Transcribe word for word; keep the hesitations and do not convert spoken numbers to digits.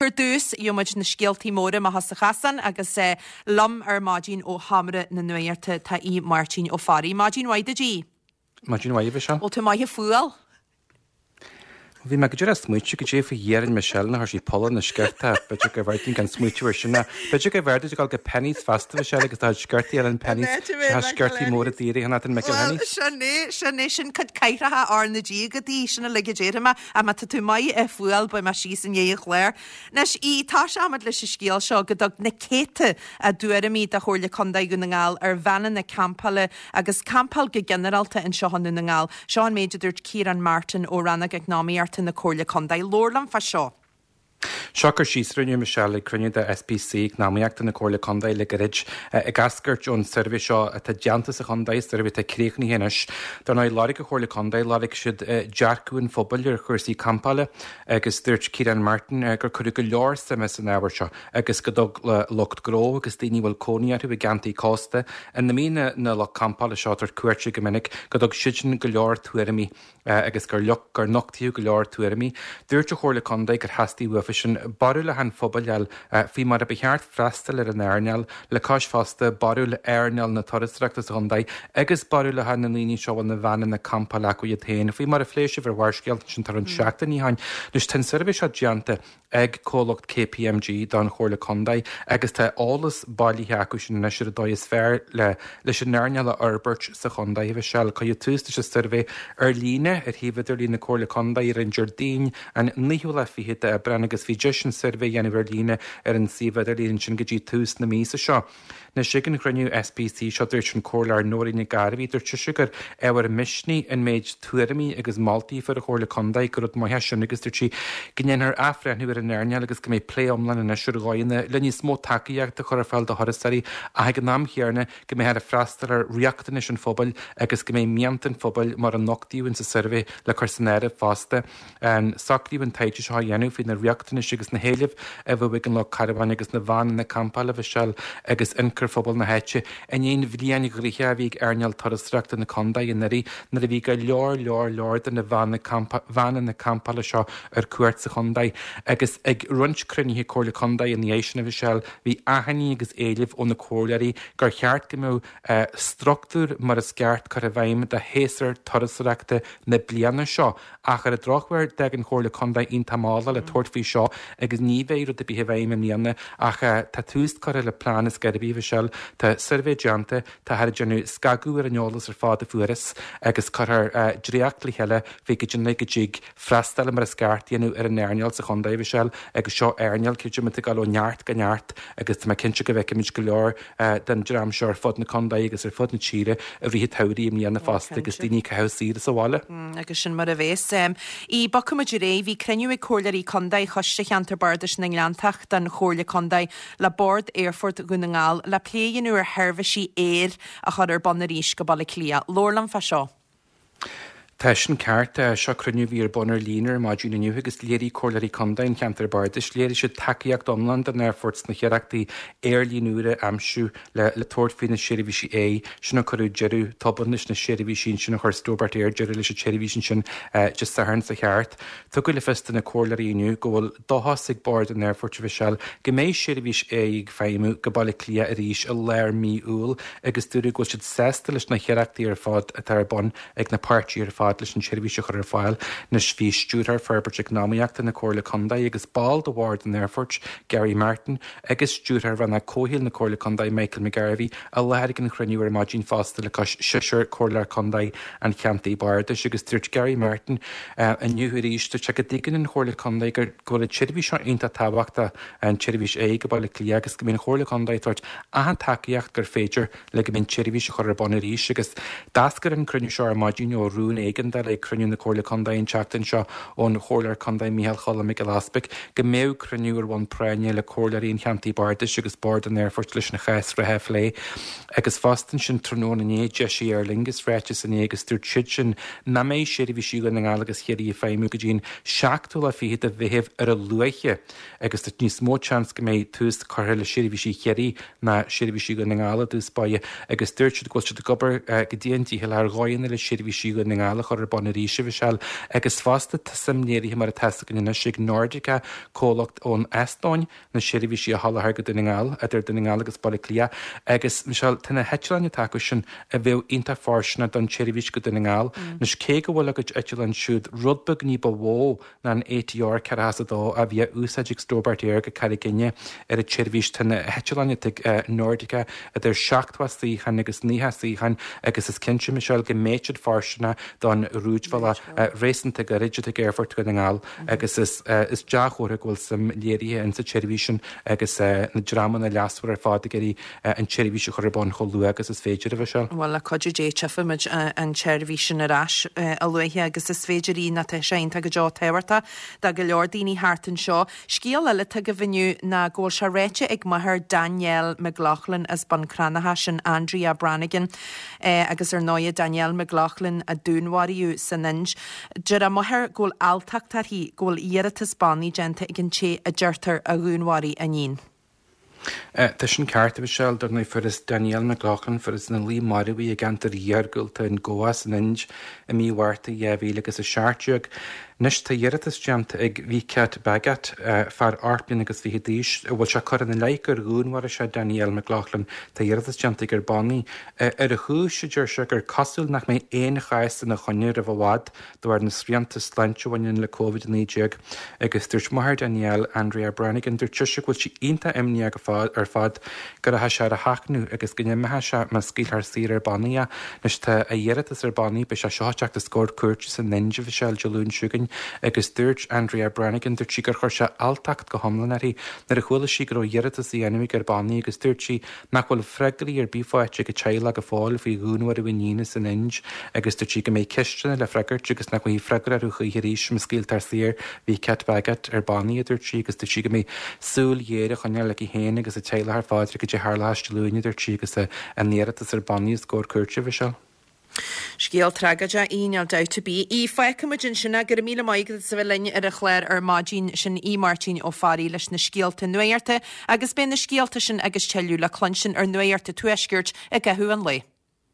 ar dtús, gheobhaidh muid na scéaltaí móra amach as an chasán agus eh, liom ar maidin ó Sheomra na Nuachta tá Aodh Máirtín Ó Fearraigh. Maidin mhaith duit, a Aoidh. Maidin mhaith seo. Bhfuil tú maith fuáil? Bhí mé go dtí smaoineamh go dté faoi dhéarann Michelle na sí polla na sciorta b'fhéidir go bhféadfainn gan smaoineamh ar sin b'fhéidir go bhféadfainn dul go Penneys fosta Michelle agus tá sciortaí eile in Penneys Tá sciortaí móra daoire an an Michael Sin é sin é sin cad caiithrecha ar na dígadaí sin a le déma a má tá tú maith e fuáil ba mar sí san é chléir. Anois í tá seamad leis an scéal seo go dtug na céadta a dtuairimí do Chomhairle Contae Dhún na nGall ar veaineanna campála agus campáil go ginearálta anseo i nDún na nGall. Seo an méid a dúirt Ciarán Martin ó Rannóg Eacnamaíochta na Comhairle Contae. Labhair liom fá seo. Seo cur síos rinne Michelle ag cruinniú de SPC Eacnamaíochta na Comhairle Contae le gairid ag eascairt ón suirbhé seo atá déanta sa chontae suirbhé atá críochnaithe anois. Dar ndóigh lorg an Chomhairle Contae lorg siad dearcadh an phobail ar chúrsaí campála agus dúirt Ciarán Martin gur cuireadh go leor suime san ábhar seo agus go dtug le lucht gnó agus daoine bhfuil cónaí orthu i gceantair cósta ina mbíonn na lucht campála seo tar cuairte go minic go dtug siad sin go leor tuairimí agus gur gur nochtaíodh go leor tuairimí. Dúirt an Chomhairle Contae gur theastaigh uafa sin barúlacha an phobail a fháil faoi mar a ba cheart freastal ar an earnáil le cois fosta barúil earnáil na turasóireachta sa chontae agus barúlacha na ndaoine seo bhfuil na veaineanna campála acu iad féin. Faoi mar a phléigh sibh ar Bharrscéal sin tar an seachtain ní hain. Anois tá an suirbhé seo déanta ag comhlacht KPMG don Chomhairle Contae agus tá eolas bailithe acu sin anois ar an dóigh is fearr le leis an earnáil a fhorbairt sa chontae. Bhí cuireadh tús leis an suirbhé ar líne ar shuíomh idirlín na Comhairle Contae ar an Déardaoin an naoú lá fichead d'Aibreán agus bhí deis an suirbhé a dhéanamh ar líne ar an suíomh idirlín sin go dtí tús na míosa seo. Anois ag an chruinniú SPC seo dúirt an Comhairleoir Nóirín Nic Gairbhí dúirt sise gur ábhar misnigh an méid tuairimí agus moltaí a fuair an Chomhairle Contae gur rud maith sin agus dúirt sí go ndéanfar athbhreithniú ar an earnáil agus go mbeidh plé iomlán anois ar dhóigheanna le níos mó tacaíochta a chur ar fáil do thurasóirí ach ag an am chéanna go mbeidh ar freastal ar riachtanais an phobail agus go mbeidh mianta an phobail mar a nochtaíodh sa suirbhé le cur san áireamh fosta. An socraíodh an taighde seo a dhéanamh faoi na riachtanais agus na héilimh a bheadh ag an lucht carbháin agus na veaineanna campála Michelle agus ionchur phobal na háite in aon bhliain ghnoitheach a bhí ag earnáil turasóireachta na contae anuraidh nuair a bhí go leor leor leor de na veaineanna campála seo ar cuairt sa chontae agus ag roinnt cruinnithe Comhairle Contae ina dhiaidh sin Michelle bhí achainí agus éilimh ó na comhairleoirí gur cheart go mbeadh struchtúr mar is ceart curtha i bhfeidhm do shéasúr turasóireachta na bliana seo ach ar an drochuair d'fhág an Chomhairle Contae iontach mall le tabhairt faoi seo agus ní bheidh rud ar bith i bhfeidhm i mbliana ach tá tús curtha le plean is gairbí Michelle tá suirbhé déanta tá thar déanamh scagadh ar an eolas ar fad a fuarthas agus curthar dréacht le chéile faoi go dtí go dtig freastal mar is ceart dhéanamh ar an earnáil sa chontae Michelle agus seo earnáil creidim atá ag dul ó neart go neart agus tá mé cinnte go bhfeicfimid go leor den dream seo ar fud na contae agus ar fud na tíre i rith an tsamhraidh i mbliana fosta agus daoine ag caitheamh saoire sa bhaile. agus sin mar a bheas. I bogfaimid ar aghaidh bhí cruinniú ag Comhairleoirí Contae Choiste Cheantar Bardais na nGleanntach den Chomhairle Contae le Bord Aerfort Dhún na nGall le plé a dhéanamh ar sheirbhísí aeir a chur ar bun arís go Baile Átha Cliath. Labhair liom fá seo. Tá sin ceart seo cruinniú a bhí ar bun ar líne ar maidin inniu agus léirigh Comhairleoirí Contae an Cheantair Bardais léirigh siad tacaíocht iomlán don aerfort sna hiarrachtaí aerlíne úr a aimsiú le le tabhairt faoi na seirbhísí aeir sin a cuireadh deireadh tobann leis na seirbhísí sin a chuir Stobart Air deireadh leis an tseirbhís sin Dé Sathairn seo thart. Tugadh le fios do na comhairleoirí inniu go bhfuil dóchas ag bord an aerfoirt Michelle go mbeidh seirbhís aeir ag feidhmiú go Baile Átha Cliath arís i lár mí Iúil agus dúradh go bhfuil siad sásta leis na hiarrachtaí ar fad atá ar bun ag na páirtithe ar fad leis an tseirbhís a chur ar fáil anois bhí stiúrthóir forbairt eacnamaíochta na Comhairle Contae agus ball de bhord an aerfoirt Gary Martin agus stiúrthóir rannóg comhshaoil na Comhairle Contae Michael McGarvey i láthair ag an chruinniú ar maidin fosta le cois seisear comhairleoir contae an cheantair bardais agus dúirt Gary Martin uh, inniu arís dúirt sé go dtuigeann an Chomhairle Contae gur go bhfuil an tseirbhís seo iontach tábhachtach an tseirbhís aeir go Baile Átha Cliath agus go mbíonn an Chomhairle Contae ag tabhairt achan tacaíocht gur féidir le go mbíonn tseirbhís a chur ar bun arís agus d'eascair an cruinniú seo ar maidin ó rún éigeandála ag cruinniú na Comhairle Contae an tseachtain seo ón Chomhairleoir Contae Micheál Choilm Mac Giolla Easpaig go mbeadh cruinniú ar bhonn práinne le comhairleoirí an cheantair bardais agus bord an aerfoirt leis an chás reatha a phlé agus fosta sin tráthnóna inné d'eisigh Aer Lingus ráiteas inné agus dúirt siad sin nach mbeidh seirbhísí Dhún na nGall agus Chiarraí ag feidhmiú go dtí an seachtú lá fichead de Mheitheamh ar a luaithe agus tá níos mó seans go mbeidh tús curtha le seirbhísí Chiarraí ná seirbhísí Dhún na nGall i dtús báire agus dúirt siad go bhfuil siad ag obair go dian dícheallach ar dhóigheanna le seirbhísí Dhún na nGall a chur ar bun arís, a Mhichelle, agus fosta tá suim léirithe mar atá fhios againn anois ag Nordica, comhlacht ón Eastóin, na seirbhísí a sholáthar go Dún na nGall, idir Dún na nGall agus Baile Átha Cliath. Agus, Michelle, tá na heitleáin atá acu sin a bheadh iontach fóirsteanach don tseirbhís go Dún na nGall. Anois, cé go bhfuil a gcuid eitleán siúd rud beag ní ba mhó ná an A T R ceathracha is a dó a bhí á úsáid ag Stobart Air go Carraig Fhinne ar an tseirbhís, tá na heitleáin atá ag Nordica idir seachtó suíochán agus naocha suíochán agus is cinnte, Michelle, go mbeidh siad fóirsteanach don rúidbhealach réasúnta gairid atá ag Aerfort Dhún na nGall agus is is dea-chomhartha go bhfuil suim léirithe insa tseirbhís sin agus na dreamanna leasmhara ar fad ag iarraidh an tseirbhís a chur ar bun chomh luath agus is féidir, a Mhichelle. Bhuel, le cuidiú Dé tchífimid an tseirbhís sin ar ais a luaithe agus is féidir í nó tá sé iontach go deo tábhachtach do go leor daoine thart anseo. Scéal eile atá agaibh inniu ná go bhfuil sé ráite ag máthair Danielle McLaughlin as Bun Cranncha, sin Andrea Brannigan, agus ar ndóigh Danielle McLaughlin a dúnmharaíodh san Ind. Deir a máthair go bhfuil alltacht uirthi go bhfuil iarratas bannaí déanta ag an té a deirtear a dhúnmharaigh a iníon. Tá sin ceart, a Mhichelle, dar ndóigh fuarthas Danielle McLaughlin, fuarthas ina luí marbh í i gceantar iargúlta in Goa san Ind i mí Mhárta dhá mhíle agus a seacht déag. Anois tá iarratas déanta ag Vikat Bhagat, fear ocht mbliana agus fiche d'aois, a bhfuil sé curtha ina leith gur dhúnmharaigh sé Danielle McLaughlin. Tá iarratas déanta aige ar bannaí. Ar a chúis, a deir sé, gur cosúil nach mbeidh aon chás ina choinne roimh i bhfad de bharr na srianta sláinte a bhaineann le Covid a naoi déag. Agus dúirt máthair Danielle, Andrea Brannigan, dúirt sise go bhfuil sí iontach imníoch ar fad go rachaidh sé ar a sheachnadh agus go n-imeoidh sé má scaoiltear saor ar bannaí é. Anois tá a iarratas ar bannaí, beidh sé seo ag teacht os comhair cúirte san Ind, a Mhichelle, Dé Luain seo chugainn. Agus dúirt Andrea Brannigan, dúirt sí gur chuir sé alltacht go hiomlán uirthi nuair a chuala sí go raibh iarratas á dhéanamh aige ar bannaí agus dúirt sí nach bhfuil freagraí ar bith faighte ag a teaghlach go fóill faoi dhúnmharú a iníne san Ind agus dúirt sí go mbeidh ceisteanna le freagairt agus nach bhfaighidh freagra orthu choíche arís má scaoiltear saor Vikat Bhagat ar bannaí, a dúirt sí, agus dúirt sí go mbeidh súil ghéar á choinneáil aici féin agus a teaghlach ar fad ar cad é a tharlós Dé Luain, a dúirt sí, agus an iarratas ar bannaí os comhair cúirte, Mhichelle. Scéal tragóideach í, níl dabht ar bith. Í, Fágfaimid ansin é, go raibh míle maith agat as a bheith linn ar an chlár ar maidin, sin í Máirtín Ó Fearraigh leis na scéalta nuachta agus beidh na scéalta sin agus tuilleadh le cluinstin ar Nuacht an Tuaiscirt i gcaitheamh an lae.